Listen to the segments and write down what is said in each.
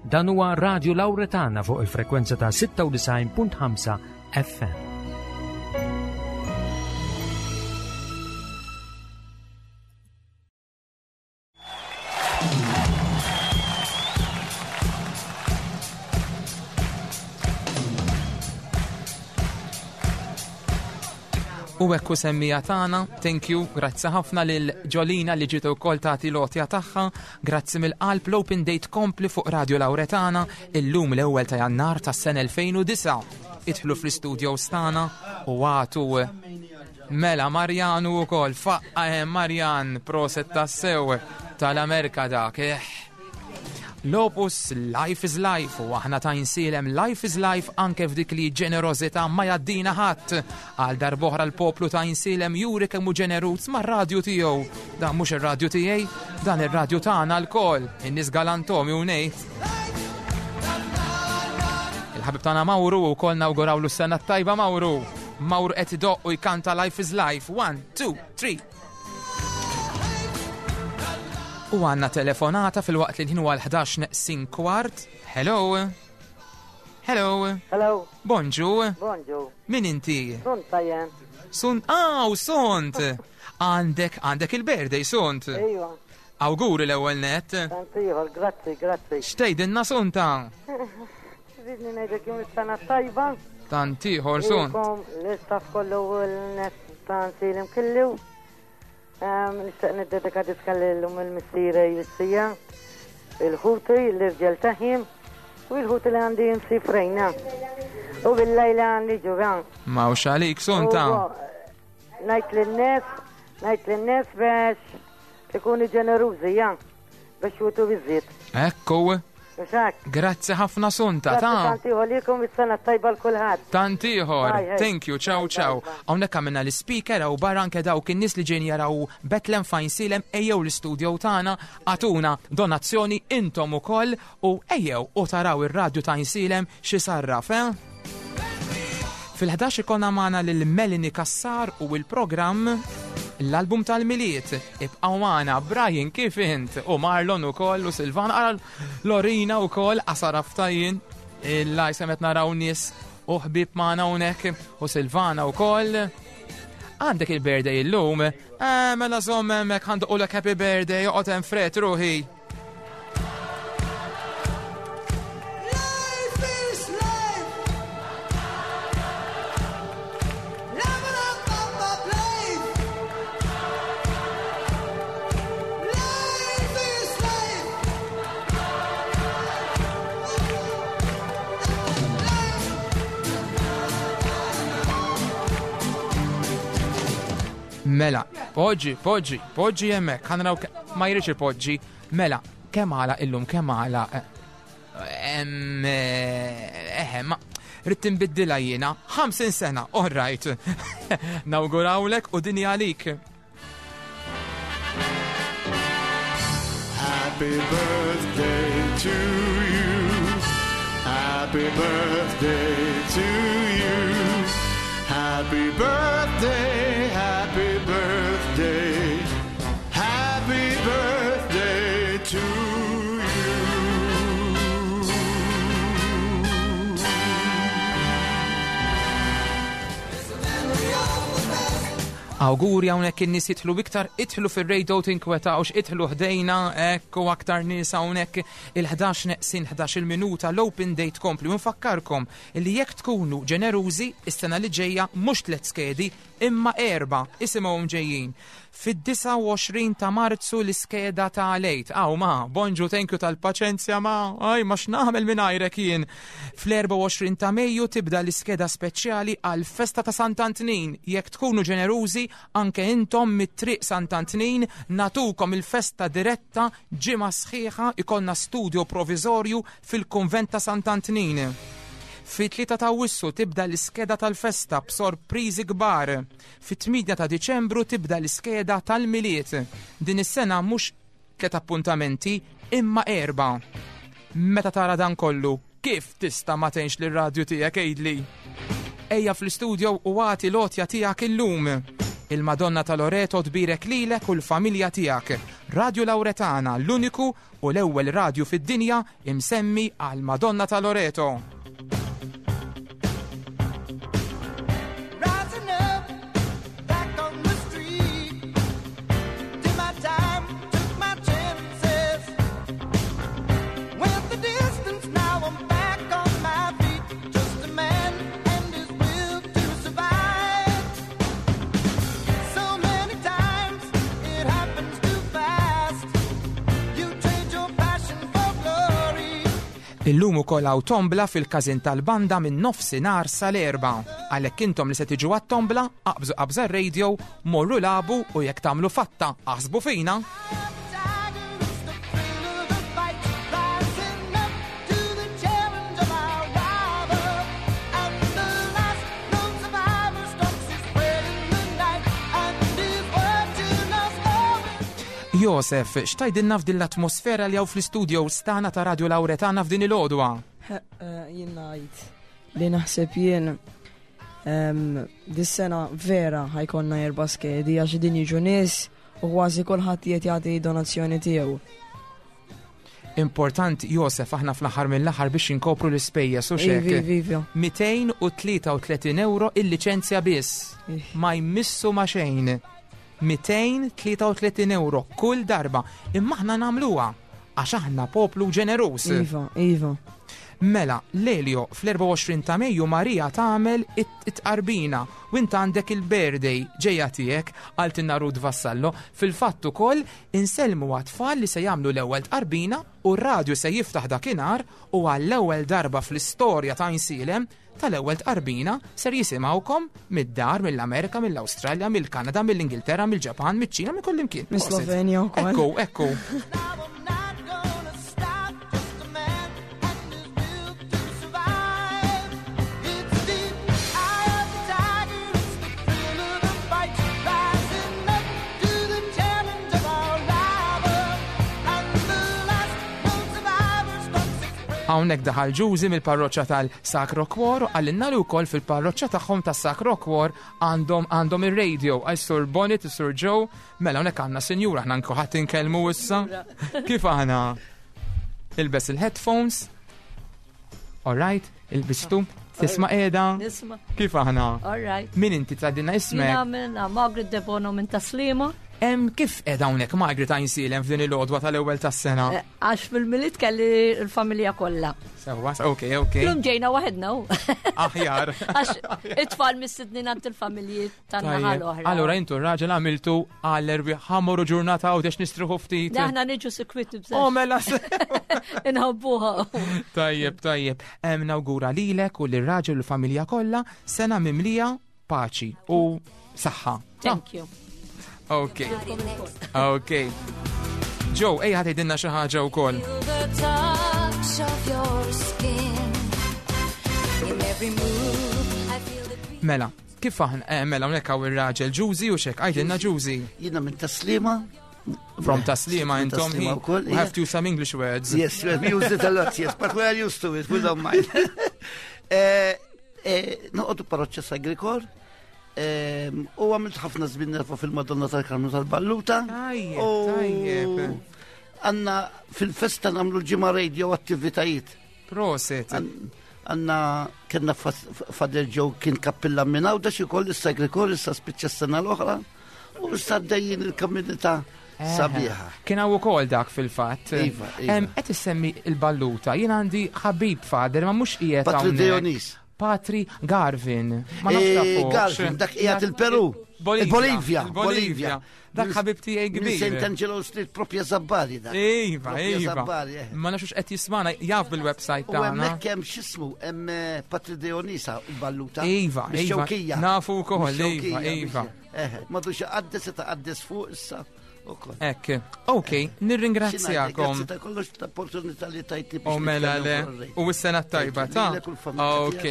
Dan huwa Radio Lauretana fuq il-frekwenza ta' 96.5 FM. U hekk hu semmija tagħna, thank you, grazzi ħafna lil Ġolina li ġiet ukoll tagħti l-għotja tagħha, grazzi mill-qalb l-Open Date kompli fuq Radio Lauretana illum l-ewwel ta' Jannar tas-sena 2009. Idħlu fl-istudios tagħna u għatu mela Marjanu wkoll faqqa hemm Marjan proset tassew tal-Amerika dak. Eh. L-opus Life is Life u aħna ta' insilem Life is Life anke f'dik li ġenerożità ma jaddina ħadd. Għal darboħra l-poplu ta' insilem juri kemm hu ġeneruż mar-radju tiegħu. Dan mhux ir-radju tiegħi, dan ir-radju tagħna lkoll, in-nies galantomi u ngħid. Il-ħabib tagħna Mawru wkoll nawgurawlu s-sena t-tajba Mawru. Mawru qed idoqq u jkanta Life is Life. One, two, three. U għanna telefonata fil-waqt li l-ħin huwa l-11 neqsin kwart. Hello. Hello. Hello. Bonġu. Bonġu. Min inti? Sunt tajjen. Sunt, aw, sunt. Għandek, għandek il-birthday, sunt. Ejwa. Awguri l-ewwel net. Tant ieħor, grazzi, grazzi. X'tgħidilna sunta? Ridni ngħidlek jum is-sena tajba. Tant ieħor sunt. L-istaff kollu u l-net ta' nsilim kellu. Nixtieq niddedika diska lil-lum il-missiera jissija, il-ħuti, l-irġel taħim, u l-ħuti li għandi nsifrejna. U bil-lejla għandi ġuran. Mawx għalik sunta. Ngħid lin-nies, ngħid lin-nies biex Ikunu ġenerużi, ja, biex jutu iżjed. Ekku. Grazzi ħafna Sunta, ta' Tant ieħor lilkom is-sena tajba l kulħadd. Tant ieħor. Thank you, ciao ciao. Hawnhekk għamilna l-speaker hawn barra anke dawk in-nies li ġejjin jaraw Bethlehem fejn silem ejjew l-istudio tagħna agħtuna donazzjoni intom ukoll u ejjew u taraw ir-radju ta' Għajnsielem xi sarraf, eh? Fil-11 ikollna magħna lil Melanie Cassar u l-programm l-album tal-Milied. Ibqgħu magħna Brian kif int u Marlon ukoll u Silvana ara Lorina ukoll qasar aftajin. Il-laj semet naraw nies u ħbieb magħna hawnhekk u Silvana ukoll. Għandek il-birthday illum? Eh, mela żomm hemmhekk ħanduqulek happy birthday, oqgħod hemm fret ruħi. Mela, poġġi, poġġi, poġġi hemmhekk, ħa naraw ma jridx ipoġġi. Mela, kemm għala illum kemm għala eh, ma rrid tinbiddilha jiena 50 sena, all right. Nawgurawlek u dini għalik. Happy birthday to you. Happy birthday to you. Happy birthday, happy birthday. Happy birthday to you. Awguri hawnhekk in-nies jidħlu iktar, idħlu fir-radio tinkwetawx, idħlu ħdejna hekk u aktar nies hawnhekk il-11 neqsin 11 minuta l-open date kompli u nfakkarkom li jekk tkunu ġenerużi is-sena li ġejja mhux tliet skedi imma erba' isimgħuhom ġejjin. Fid-29 ta' Marzu l-iskeda ta' l-Għid. Aw ma, bonġu thank you tal-paċenzja ma, aj ma x'nagħmel mingħajrek jien. Fl-24 ta' Mejju tibda l-iskeda speċjali għall-festa ta' Sant'Antnin. Jekk tkunu ġenerużi anke intom mit-triq Sant'Antnin nagħtukom il-festa diretta ġimgħa sħiħa ikollna studio proviżorju fil-kunvent ta' Sant'Antnin. Fit-3 ta' Awwissu tibda l-iskeda tal-festa b'sorpriżi kbar. Fit-8 ta' Diċembru tibda l-iskeda tal-Milied. Din is-sena mhux tliet appuntamenti imma erbgħa. Meta tara dan kollu, kif tista' ma tgħinx lir-radju tiegħek għidli? Ejja fl-istudio u agħti l-għotja tiegħek illum. Il-Madonna ta' Loreto tbierek lilek u l-familja tiegħek. Radio Lauretana, l-uniku u l-ewwel radju fid-dinja imsemmi għal Madonna ta' Loreto. Illum ukoll hawn tombla fil-każin tal-banda minn nofsinhar sal-erba. Għalhekk intom li se tiġu għat-tombla, aqbżu qabża r-radio, morru lagħbu u jekk tagħmlu fatta, aħsbu fina. Josef, x'tajdilna f'din l-atmosfera li hawn fl-istudio stana ta' Radio Lauretana f'din il-għodwa? Eh, jien ngħid li naħseb jien dis-sena vera ħajkonna erba' skedi għax din jiġu nies u kważi kulħadd qiegħed jagħti donazzjoni tiegħu. Importanti, Josef, aħna fl-aħħar mill-aħħar biex inkopru l-ispejjeż u xek. 233 euro il-liċenzja biss. Ma jmissu ma xejn. 233 euro kull darba. Imma aħna nagħmluha għax aħna poplu ġeneruż. Iva, iva. Mela, Lelio, fl-24 ta' Mejju Marija tagħmel it-tqarbina u int għandek il-birthday ġejja tiegħek għaltinna Ruth Vassallo. Fil-fatt ukoll insellmu għat-tfal li se jagħmlu l-ewwel tqarbina u r-radju se jiftaħ dakinhar u għall-ewwel darba fl-istorja ta' Għajnsielem tal-ewwel tqarbina ser jisimgħukom mid-dar, mill-Amerika, mill-Awstralja, mill-Kanada, mill-Ingilterra, mill-Ġapan, miċ-Ċina, minn kullimkien. Mis-Slovenja wkoll. Ekku, ekku. Hawnhekk daħal Ġużi mill-parroċċa tal-Sacro Cuor u qalilna li wkoll fil-parroċċa tagħhom tas-Sacro Cuor għandhom għandhom ir-radio. Għal Sur Bonnet, Sur Joe, mela hawnhekk għandna sinjura aħna nkuħadd inkellmu issa. Kif aħna? Ilbes il-headphones. All right, ilbistu. Tisma' qiegħda? Nisma'. Kif aħna? All right. Min inti tgħaddilna ismek? Jiena minn Margaret Debono minn Taslima. Em kif qiegħda hawnhekk Margaret Għajnsielem f'din il-għodwa tal-ewwel tas-sena? Eh, għax fil-Milied kelli l-familja kollha. Sewwa, ok, ok. Lum ġejna waħedna hu. Aħjar. Għax it-tfal mistednin għand il-familji tan-naħa l-oħra. Allura intu r-raġel għamiltu għall-erbi ħamuru ġurnata u dex nistriħu ftit. Aħna niġu sikwit bżax. Oh, mela. Inħobbuha. Tajjeb, tajjeb. Hemm nawgura lilek u lir-raġel u l-familja kollha sena mimlija paċi u saħħa. Thank you. Ok. Ok. Joe, ejja ħatidinna xi ħaġa wkoll. Mela, kif aħna, eh, mela hawnhekk hawn ir-raġel Ġużi u xek, għajdilna Ġużi. Jiena minn Taslima. From Taslima intom. We have to use some English words. Yes, we use it a lot, yes, but we are used to it, we don't mind. Eh, Eh, noqogħdu parroċċa Sagrikor, ehm, u għamilt ħafna żmien nerfa fil-Madonna tal-Karmnu tal-Balluta. Tajjeb, Għanna fil-festa namlu ġimgħa radio attivitajiet. Proset. Għanna kena Fader Ġew kien kappilla minn għawda xi koll is-Sagrikor issa spiċċa s-sena l-oħra u issa dejjin il-komunità sabiħa. Kien hawn ukoll dak fil-fatt. Iva, iva. Qed issemmi l-balluta, jien għandi ħabib fader ma mhux qiegħed Patri Dionis. Patri Garvin. Ma nafx eh, Garvin, dak qiegħed il-Peru. Bolivia. Bolivia. Dak ħabib tiegħi kbir. St. Angelo Street propja Zabbari dak. Iva, iva. Eh. Ma nafx qed jismana jaf bil-website tagħna. U hemmhekk hemm x'ismu hemm eh, Patri Dionisa l-balluta. Iva, iva. Nafu wkoll, iva, iva. Eh, madux għaddes se taqaddes fuq issa. Ek, ok, nirringrazzjakom. Grazzi ta' kollox ta' opportunità li tajti. U mela le, u s-sena tajba ta' Ok,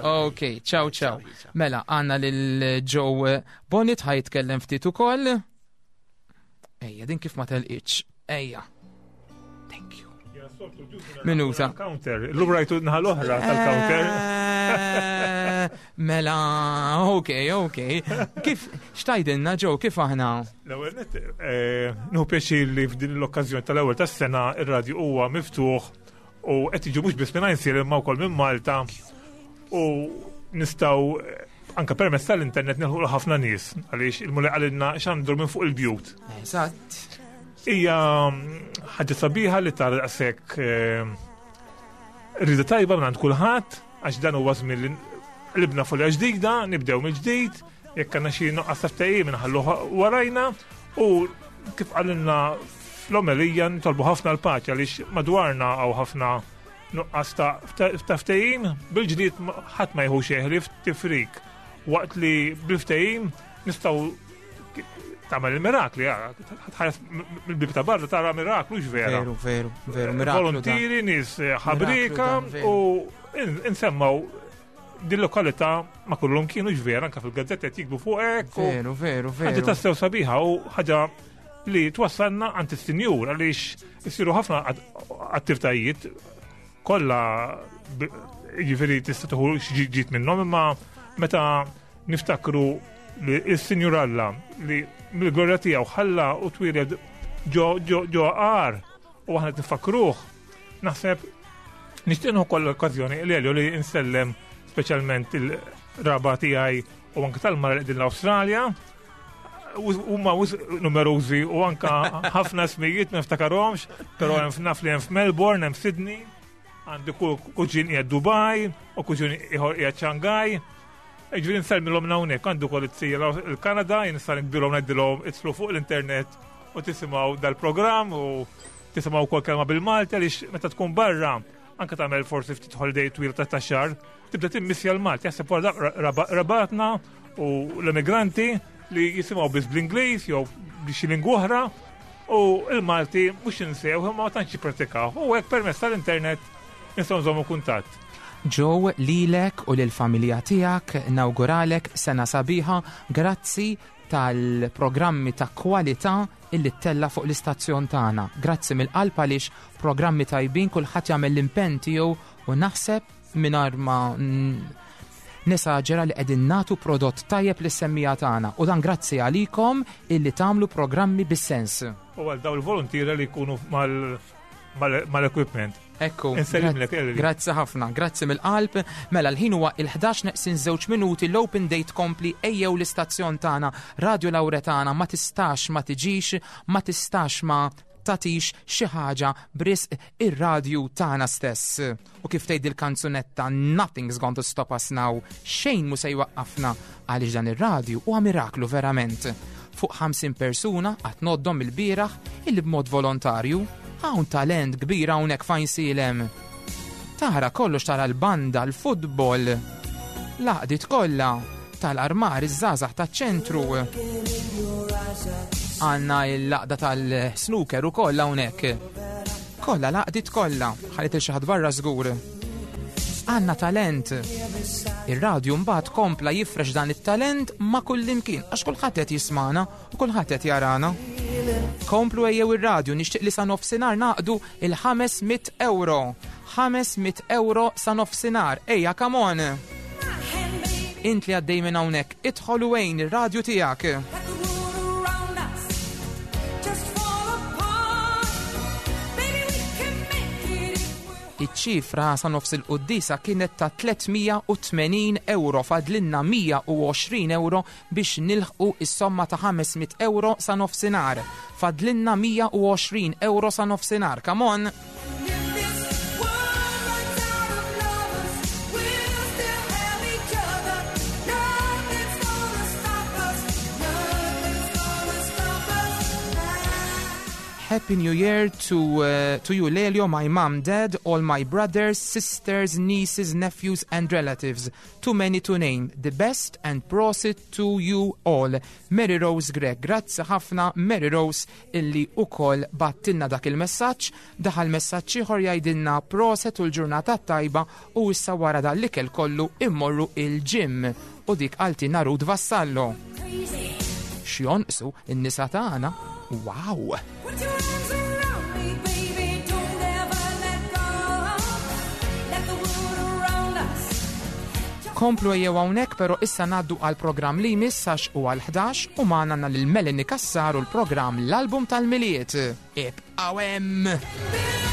ok, ciao ciao. Mela, għanna lil Joe Bonnet ħajtkellem ftit ukoll. Ejja, din kif ma telqitx. Ejja. Thank you. Yes. Minuta. Counter, l-lum rajtu naħa l-oħra tal-counter. Eh, mela, ok, ok. Kif, xtajdilna ġew, kif aħna? L-ewwel nett, eh, nieħu pjaċir li f'din l-okkażjoni tal-ewwel tas-sena ir-radju huwa miftuħ u qed jiġu mhux biss minn Għajnsielem imma wkoll minn Malta u nistgħu eh, anke permezz tal-internet nilħu ħafna nies għaliex il-Mulej qalilna xandur minn fuq il-bjut. Eżatt. Hija mm, ħaġa sabiħa li tara daqshekk eh, rida tajba minn għand kulħadd għax dan huwa żmien li qlibna folja ġdida, nibdew mill-ġdid, jekk għandna xi nuqqas ta' ftehim inħalluh warajna u kif qalilna fl-omelija nitolbu ħafna l-paċi għaliex madwarna hawn ħafna nuqqas ta' ftehim, bil-ġdid ħadd ma jieħu xejn ħlief tifrik waqt li bil-ftehim nistgħu tagħmel il-mirakli, tħares mill-bib ta' barra tara miraklu vera. Veru, veru, veru, miraklu. Volontieri, nies eh, ħabrika u nsemmaw din lokalità ma kullum kienu vera anka fil-gazzetta qed jikbu fuq hekk. Veru, veru, veru. Ħaġa tassew sabiħa u ħaġa li twassalna għand is-sinjur għaliex isiru ħafna attivitajiet kollha jiġifieri tista' tieħu xi ġid minnhom imma meta niftakru li s-Sinjur Alla li mill-glorja tiegħu ħalla u twieled ġo ġo ġo għar u aħna nifakruh naħseb nixtieq nieħu koll l-okkażjoni li Elio li nsellem speċjalment il-raba tiegħi u anke tal-mara li qegħdin l-Awstralja huma numerużi u anka ħafna smijiet ma niftakarhomx, però hemm naf li hemm f'Melbourne, hemm Sydney, għandi kuġin qiegħed Dubai u kuġin ieħor qiegħed Shanghai. Ġifieri nsellmilhom hawnhekk għandu wkoll it-tija l-Kanada, jien nista' nikbilhom ngħidilhom idħlu fuq l-internet u tisimgħu dal-programm u tisimgħu wkoll kelma bil-Malti għaliex meta tkun barra anke tagħmel forsi ftit holiday twil ta' xahar, tibda timmissja l-Malti, jaħseb wara rabatna u l-emigranti li jisimgħu biss bl-Ingliż jew b'xi lingwa oħra u l-Malti mhux insew imma ma tantx jippratikaw. U hekk permezz tal-internet nistgħu nżommu kuntatt. Joe, lilek u lill-familja tiegħek nawguralek sena sabiħa, grazzi tal-programmi ta' kwalità illi ttella' fuq l-istazzjon tagħna. Grazzi mill-qalb għaliex programmi tajbin kulħadd jagħmel l-impenn tiegħu u naħseb mingħajr ma nesaġera li qegħdin nagħtu prodott tajjeb lis-semmiegħa tagħna u dan grazzi għalikom illi tagħmlu programmi bis-sens. U għal dawn il-voluntiera li jkunu mal-equipment. Ekku. Insellimlek, Elri. Grazzi ħafna, grazzi mill-qalb. Mela l-ħin huwa il-11 neqsin żewġ minuti l-open date kompli ejjew l-istazzjon tagħna Radio Lauretana ma tistax ma tiġix, ma tistax ma tagħtix xi ħaġa b'risq ir-radju tagħna stess. U kif tgħid il-kanzunetta Nothing's going to stop us now, xejn mhu se jwaqqafna għaliex dan ir-radju huwa miraklu verament. Fuq 50 persuna qatt ngħoddhom mill-bieraħ illi b'mod volontarju hawn talent kbir hawnhekk f'Għajnsielem. Tara kollox tara l-banda, l-futbol, l-għaqdiet kollha tal-armar iż-żgħażagħ taċ-ċentru. Għandna l-għaqda tal-snooker ukoll hawnhekk. Kollha l-għaqdiet kollha, ħallit il xi ħadd barra żgur. Għandna talent. Ir-radju mbagħad kompla jifrex dan it-talent ma' kullimkien għax kulħadd qed jismana u kulħadd qed jarana. Komplu ejjew ir-radju nixtieq li sa nofsinhar naqdu il-500 euro. 500 euro sa nofsinhar. Ejja, come on! Int li għaddej minn hawnhekk, idħol u għin ir-radju tiegħek. Iċ-ċifra sa nofs il-quddiesa kienet ta' 380 euro fadlinna 120 euro biex nilħqu is-somma ta' 500 euro sa nofsinhar. Fadlinna 120 euro sa nofsinhar. Come on! Happy New Year to, uh, to you, Lelio, my mom, dad, all my brothers, sisters, nieces, nephews, and relatives. Too many to name. The best and prosit to you all. Mary Rose Greg. Grazzi ħafna Mary Rose illi ukoll battilna dak il-messaġġ. Daħal messaġġ ieħor jgħidilna proset u l-ġurnata tajba u issa wara dan l-ikel kollu immorru il-gym. U dik qaltilna Ruth Vassallo. X'jonqsu n-nisa tagħna? Wow! Komplu ejjew hawnhekk però issa ngħaddu għal programm li jmiss għax u għal 11 u magħna għandna lil Melanie Cassar u l-programm l-album tal-Milied. Ibqgħu hemm!